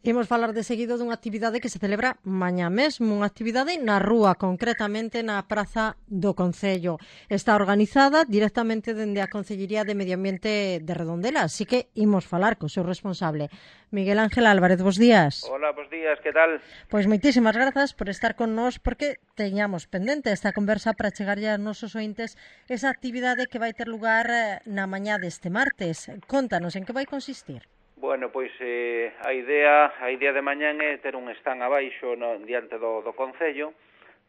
Imos falar de seguido dunha actividade que se celebra mañá mesmo, unha actividade na rúa, concretamente na Praza do Concello. Está organizada directamente dende a Concellería de Medio Ambiente de Redondela, así que imos falar co seu responsable. Miguel Ángel Álvarez, bos días. Hola, bos días, que tal? Pois moitísimas grazas por estar con nós, porque teñamos pendente esta conversa para chegarlle aos nosos ointes esa actividade que vai ter lugar na mañá deste martes. Contanos, en que vai consistir? Bueno, pois a idea de mañán é ter un stand abaixo diante do Concello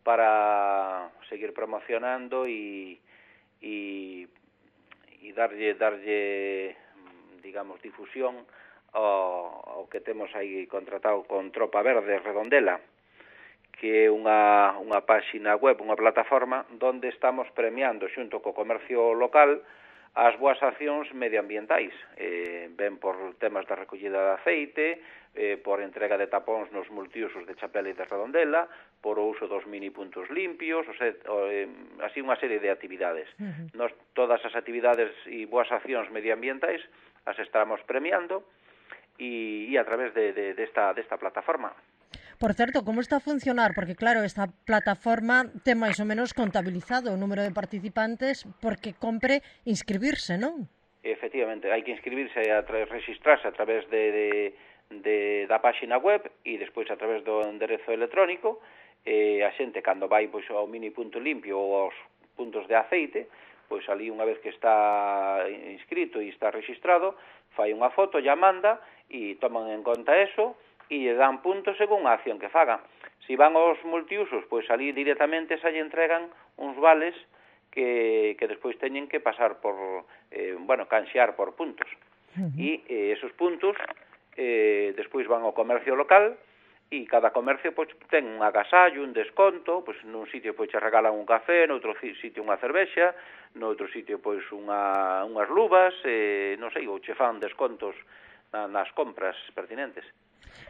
para seguir promocionando e darlle, digamos, difusión ao que temos aí contratado con Tropa Verde Redondela, que é unha páxina web, unha plataforma onde estamos premiando xunto co comercio local as boas accións medioambientais, ben por temas da recollida de aceite, por entrega de tapóns nos multiusos de Chapela e de Redondela, por o uso dos mini puntos limpios, así unha serie de actividades. Nos todas as actividades e boas accións medioambientais as estamos premiando e a través desta plataforma. Por certo, como está a funcionar? Porque, claro, esta plataforma ten máis ou menos contabilizado o número de participantes porque compre inscribirse, non? Efectivamente, hai que inscribirse e registrarse a través da páxina web e despois a través do enderezo electrónico. A xente, cando vai pois, ao mini punto limpio ou aos puntos de aceite, pois ali unha vez que está inscrito e está registrado, fai unha foto, ya manda e toman en conta eso e lle dan puntos según a acción que faga. Si van aos multiusos, pois ali directamente se lle entregan uns vales que despois teñen que pasar por, canxear por puntos. E esos puntos despois van ao comercio local e cada comercio pois ten un agasallo, un desconto, pois nun sitio pois che regalan un café, noutro sitio unha cervexa, noutro sitio pois unhas luvas, non sei, ou che fan descontos nas compras pertinentes.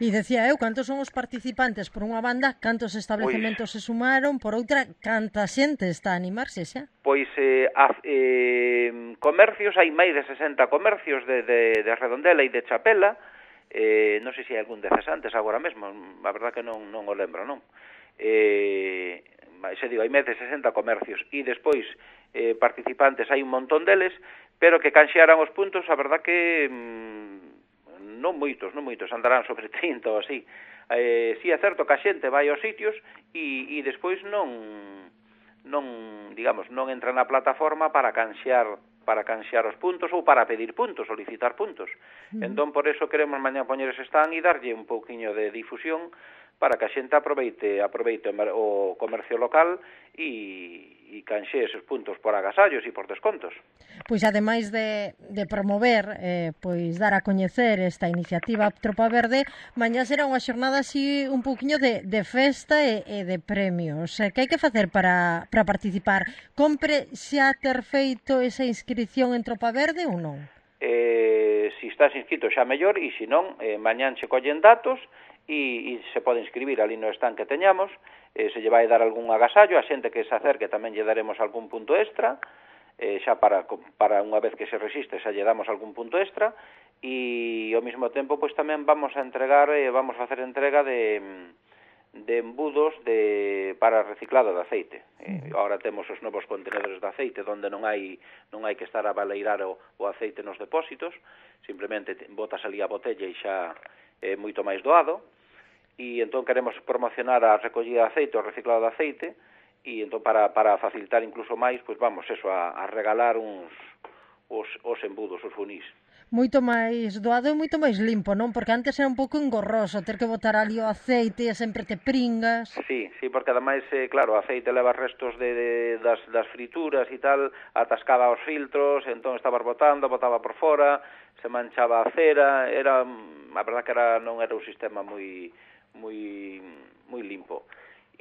E decía eu, cantos son os participantes por unha banda, cantos establecementos se sumaron, por outra, canta xente está a animarse xa? Pois comercios, hai máis de 60 comercios de Redondela e de Chapela, non sei se hai algún de cesantes agora mesmo, a verdad que non o lembro, non? Hai máis de 60 comercios e despois participantes hai un montón deles, pero que canxearan os puntos, a verdad que non moitos, andarán sobre 30 ou así. Si é certo que a xente vai aos sitios e despois non entra na plataforma para canxear os puntos ou para pedir puntos, solicitar puntos. Entón, por eso queremos mañá poñer ese stand e darlle un pouquiño de difusión para que a xente aproveite o comercio local e canxe esos puntos por agasallos e por descontos. Pois ademais de promover, pois dar a coñecer esta iniciativa Tropa Verde, mañá será unha xornada así un pouquiño de festa e de premios. Que hai que facer para participar? Compre xa ter feito esa inscripción en Tropa Verde ou non? Si estás inscrito xa mellor e se non, mañán che collen datos e se pode inscribir ali no stand que teñamos, se lle vai dar algún agasallo, a xente que se acerque tamén lle daremos algún punto extra, xa para unha vez que se resiste xa lle damos algún punto extra e ao mesmo tempo pois tamén vamos a facer entrega de embudos para reciclado de aceite. Agora temos os novos contenedores de aceite onde non hai que estar a baleirar o aceite nos depósitos, simplemente botas ali a botella e xa é moito máis doado. E entón queremos promocionar a recollida de aceite, o reciclado de aceite, e entón para facilitar incluso máis, pois vamos a regalar os embudos, os funís. Moito máis doado e moito máis limpo, non? Porque antes era un pouco engorroso ter que botar ali o aceite e sempre te pringas. Sí, porque ademais, claro, o aceite leva restos das frituras e tal, atascaba os filtros, entón estabas botaba por fora, se manchaba a cera, a verdad que non era un sistema moi limpo.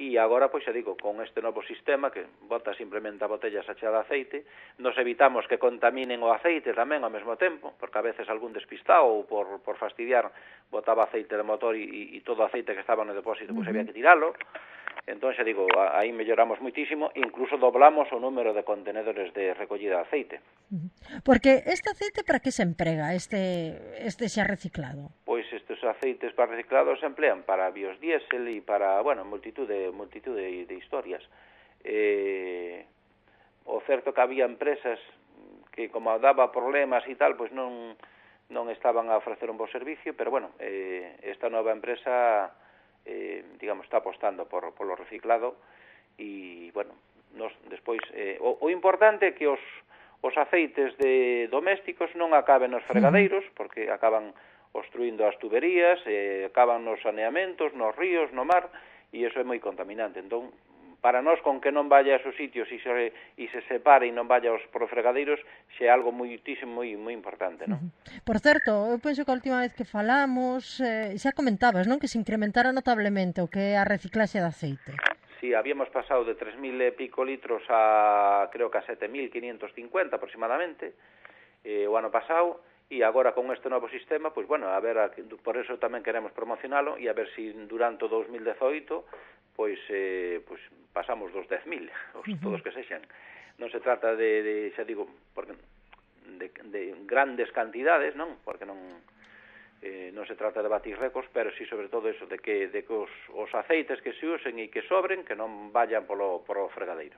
E agora, pois, xa digo, con este novo sistema que bota simplemente a botella sacha de aceite, nos evitamos que contaminen o aceite tamén ao mesmo tempo, porque a veces algún despistado ou por fastidiar botaba aceite de motor e todo o aceite que estaba no depósito, pois había que tiralo. Entón, xa digo, aí melloramos moitísimo, incluso doblamos o número de contenedores de recollida de aceite. Porque este aceite para que se emprega, este xa reciclado? Pois estes aceites para reciclado se emplean para biodiesel e para, bueno, multitud de historias. O certo que había empresas que, como daba problemas e tal, pois non estaban a ofrecer un bo servicio, pero, bueno, esta nova empresa, digamos, está apostando polo reciclado e, bueno, despois, o importante é que os aceites domésticos non acaben nos fregadeiros, porque acaban obstruindo as tuberías, acaban nos saneamentos, nos ríos, no mar, e iso é moi contaminante. Entón, para nós, con que non vaya a esos sitios e se separe e non vaya aos fregadeiros, xe é algo moitísimo, moi importante, non? Por certo, eu penso que a última vez que falamos, xa comentabas, non, que se incrementara notablemente o que é a reciclaxe de aceite. Sí, habíamos pasado de 3.000 e pico litros a, creo que a 7.550 aproximadamente, o ano pasado, e agora con este novo sistema, pois, bueno, a ver, por eso tamén queremos promocionalo, e a ver se durante o 2018, pois pasamos dos 10.000, todos que sexan. Non se trata de xa digo, porque de grandes cantidades, non? Porque non se trata de batir récords, pero sí, sobre todo eso, de que os aceites que se usen e que sobren, que non vayan polo fregadeiro.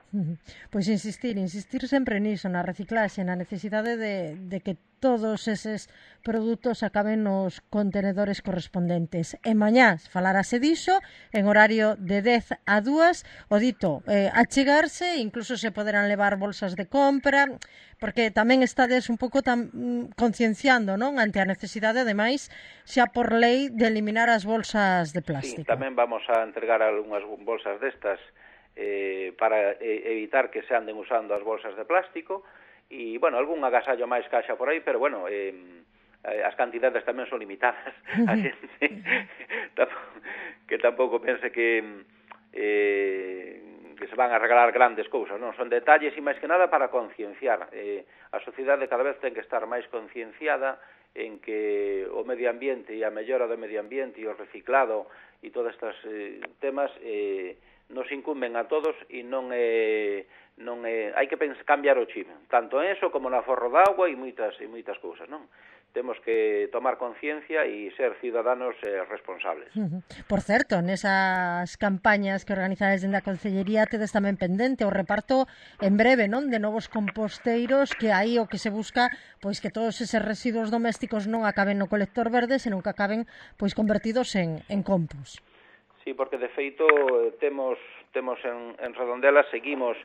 Pois insistir sempre niso, na reciclaxe, na necesidade de que todos eses produtos acaben nos contenedores correspondentes. E mañá falarase diso en horario de 10 a 2, o dito, achegarse, incluso se poderán levar bolsas de compra, porque tamén estades un pouco concienciando, non, ante a necesidade, ademais, xa por lei, de eliminar as bolsas de plástico. Sí, tamén vamos a entregar algunhas bolsas destas para evitar que se anden usando as bolsas de plástico, e, bueno, algún agasallo máis caixa por aí, pero, bueno, as cantidades tamén son limitadas. A xente que tampouco pense que se van a regalar grandes cousas, non? Son detalles e máis que nada para concienciar. A sociedade cada vez ten que estar máis concienciada en que o medio ambiente e a mellora do medio ambiente e o reciclado e todos estes temas nos incumben a todos e hai que cambiar o chip, tanto en eso como no aforro de agua e moitas cousas, non? Temos que tomar conciencia e ser ciudadanos responsables. Por certo, nesas campañas que organizades dende a Concellería tedes tamén pendente o reparto en breve, non, de novos composteiros, que aí o que se busca, pois que todos eses residuos domésticos non acaben no colector verde, senón que acaben pois convertidos en compost. Sí, porque de feito temos en Redondela, seguimos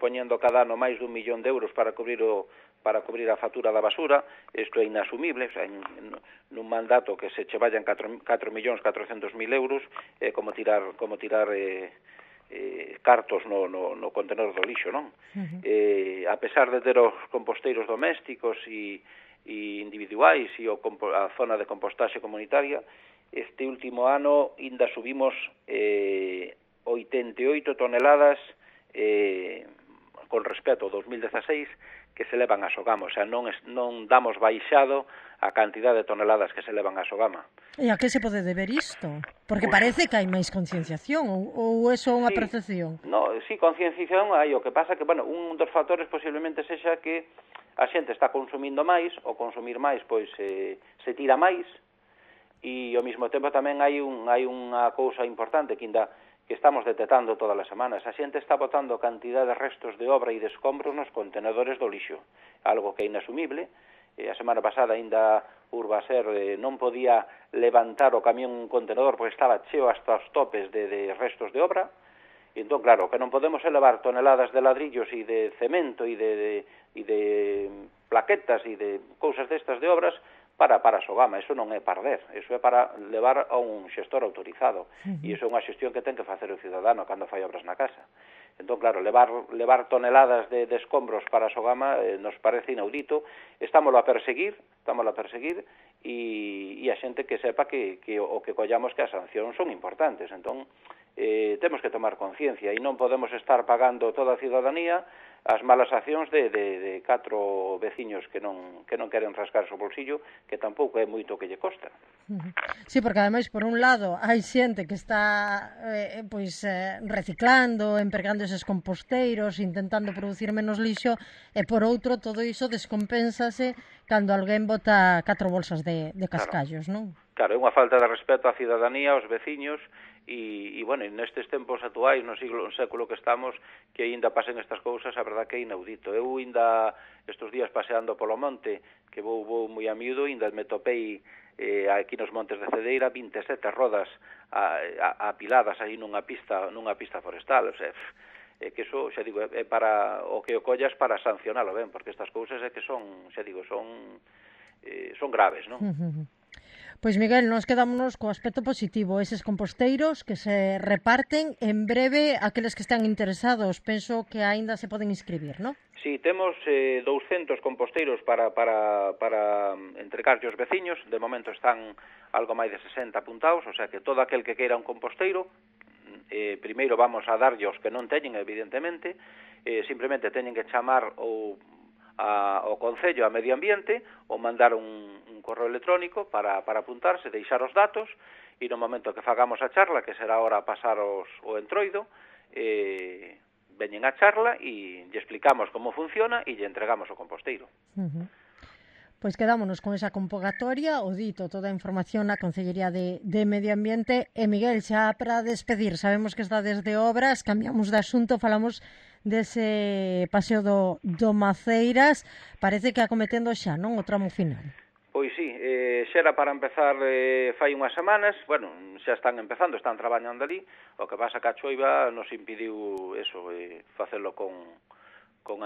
poñendo cada ano máis de 1 millón de euros para cubrir a factura da basura. Isto é inasumible, o sea, nun mandato que se che vayan 4.400.000 euros, como tirar cartos no contenedor do lixo, non? A pesar de ter os composteiros domésticos e individuais e a zona de compostaxe comunitaria, este último ano ainda subimos 88 toneladas con respecto ao 2016 que se levan a Sogama, o sea, non damos baixado a cantidad de toneladas que se levan a Sogama. E a que se pode deber isto? Porque parece que hai máis concienciación, ou é só unha percepción? No, sí, concienciación hai, o que pasa que, bueno, un dos factores posiblemente sexa que a xente está consumindo máis, ou consumir máis, pois se tira máis, e ao mesmo tempo tamén hai unha cousa importante que estamos detectando todas as semanas. A xente está botando cantidad de restos de obra e de escombros nos contenedores do lixo, algo que é inasumible. A semana pasada ainda Urbaser non podía levantar o camión un contenedor porque estaba cheo hasta os topes de restos de obra. E entón, claro, que non podemos elevar toneladas de ladrillos e de cemento e de plaquetas e de cousas destas de obras para Sogama. Eso non é perder, eso é para levar a un xestor autorizado, e iso é unha xestión que ten que facer o cidadano cando fai obras na casa. Entón, claro, levar toneladas de escombros para Sogama nos parece inaudito. Estámoslo a perseguir e a xente que sepa que o que collamos que as sancións son importantes. Entón, temos que tomar conciencia e non podemos estar pagando toda a ciudadanía as malas accións de 4 veciños que non queren rascar o bolsillo, que tampouco é moito que lle costa. Sí, porque ademais, por un lado, hai xente que está reciclando, empregando eses composteiros, intentando producir menos lixo, e por outro, todo iso descompénsase cando alguén bota 4 bolsas de Claro. cascallos, non? Claro, é unha falta de respeto á cidadanía, aos veciños, e bueno, nestes tempos actuais, no século que estamos, que aínda pasen estas cousas, a verdad que é inaudito. Eu aínda estes días paseando polo monte, que vou moi a miúdo, aínda me topei aquí nos montes de Cedeira 27 rodas apiladas aí nunha pista forestal, o sea, que eso, xa digo, é para o que o collas para sancionalo ben, porque estas cousas é que son, xa digo, son graves, non? Pois Miguel, nos quedámonos co aspecto positivo, eses composteiros que se reparten en breve aqueles que están interesados, penso que aínda se poden inscribir, non? Sí, temos 200 composteiros para entregarlle aos veciños, de momento están algo máis de 60 apuntados, o sea que todo aquel que queira un composteiro, primeiro vamos a darlle aos que non teñen, evidentemente, simplemente teñen que chamar ao Concello, a Medio Ambiente, ou mandar un correo electrónico para apuntarse, deixar os datos, e no momento que fagamos a charla, que será ahora pasar o entroido, veñen a charla e lle explicamos como funciona e lle entregamos o composteiro. Pois quedámonos con esa convocatoria, o dito, toda a información na Concellería de Medio Ambiente. E Miguel, xa para despedir, sabemos que está desde obras, cambiamos de asunto, falamos dese paseo do Maceiras, parece que acometendo xa, non, o tramo final. Pois sí, xa era para empezar fai unhas semanas, bueno, xa están empezando, están traballando ali, o que pasa que a choiva nos impediu eso, facelo con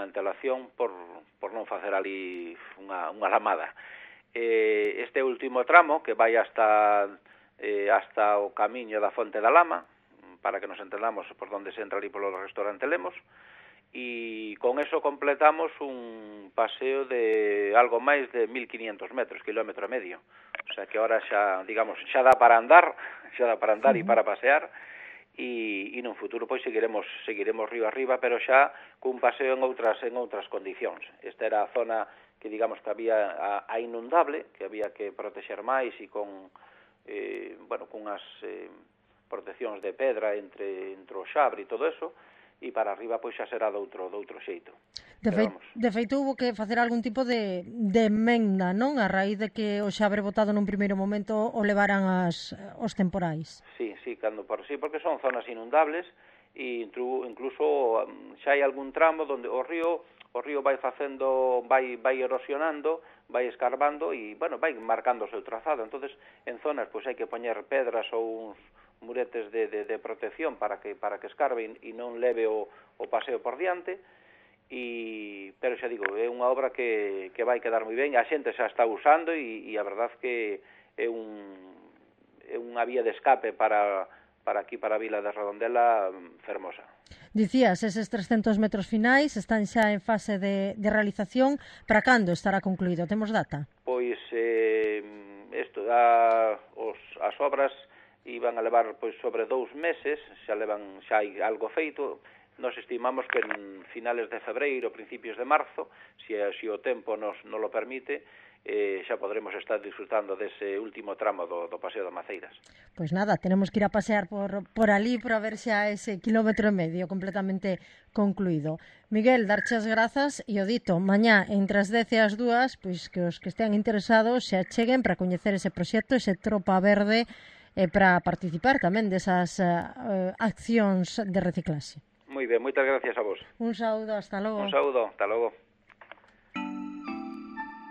antelación por non facer ali unha lamada. Este último tramo, que vai hasta o camiño da Fonte da Lama, para que nos entendamos por onde se entra ali polo restaurante Lemos, e con eso completamos un paseo de algo máis de 1.500 metros, kilómetro e medio. O sea que ahora xa, digamos, xa dá para andar e para pasear, e nun futuro pois seguiremos río arriba, pero xa cun paseo en outras condicións. Esta era a zona que digamos que había a inundable, que había que protexer máis e con cunhas proteccións de pedra entre o xabre e todo eso, e para arriba pois xa será de outro xeito. De feito, hubo que facer algún tipo de emenda, non? A raíz de que o xabre botado nun primeiro momento o levaran os temporais. Sí, porque son zonas inundables e incluso xa hai algún tramo onde o río vai erosionando, vai escarbando e, bueno, vai marcando o seu trazado. Entonces, en zonas pois hai que poñer pedras ou uns muretes de protección para que escarbe e non leve o paseo por diante, pero xa digo, é unha obra que vai quedar moi ben, a xente xa está usando e a verdad que é unha vía de escape para aquí, para a vila de Redondela, fermosa. Dicías, eses 300 metros finais están xa en fase de realización. Para cando estará concluído? Temos data? Pois, as obras iban a levar pois sobre 2 meses, xa hai algo feito. Nos estimamos que en finales de febreiro, principios de marzo, se o tempo nos lo permite, xa podremos estar disfrutando dese último tramo do Paseo do Maceiras. Pois nada, tenemos que ir a pasear por ali para ver xa ese kilómetro e medio completamente concluído. Miguel, darche as grazas e o dito, mañá entre as 10 e as 2, pois que os que estean interesados se acheguen para coñecer ese proxecto, ese Tropa Verde, e para participar tamén desas accións de reciclaxe. Moi ben, moitas gracias a vos. Un saúdo, hasta logo. Un saúdo, hasta logo.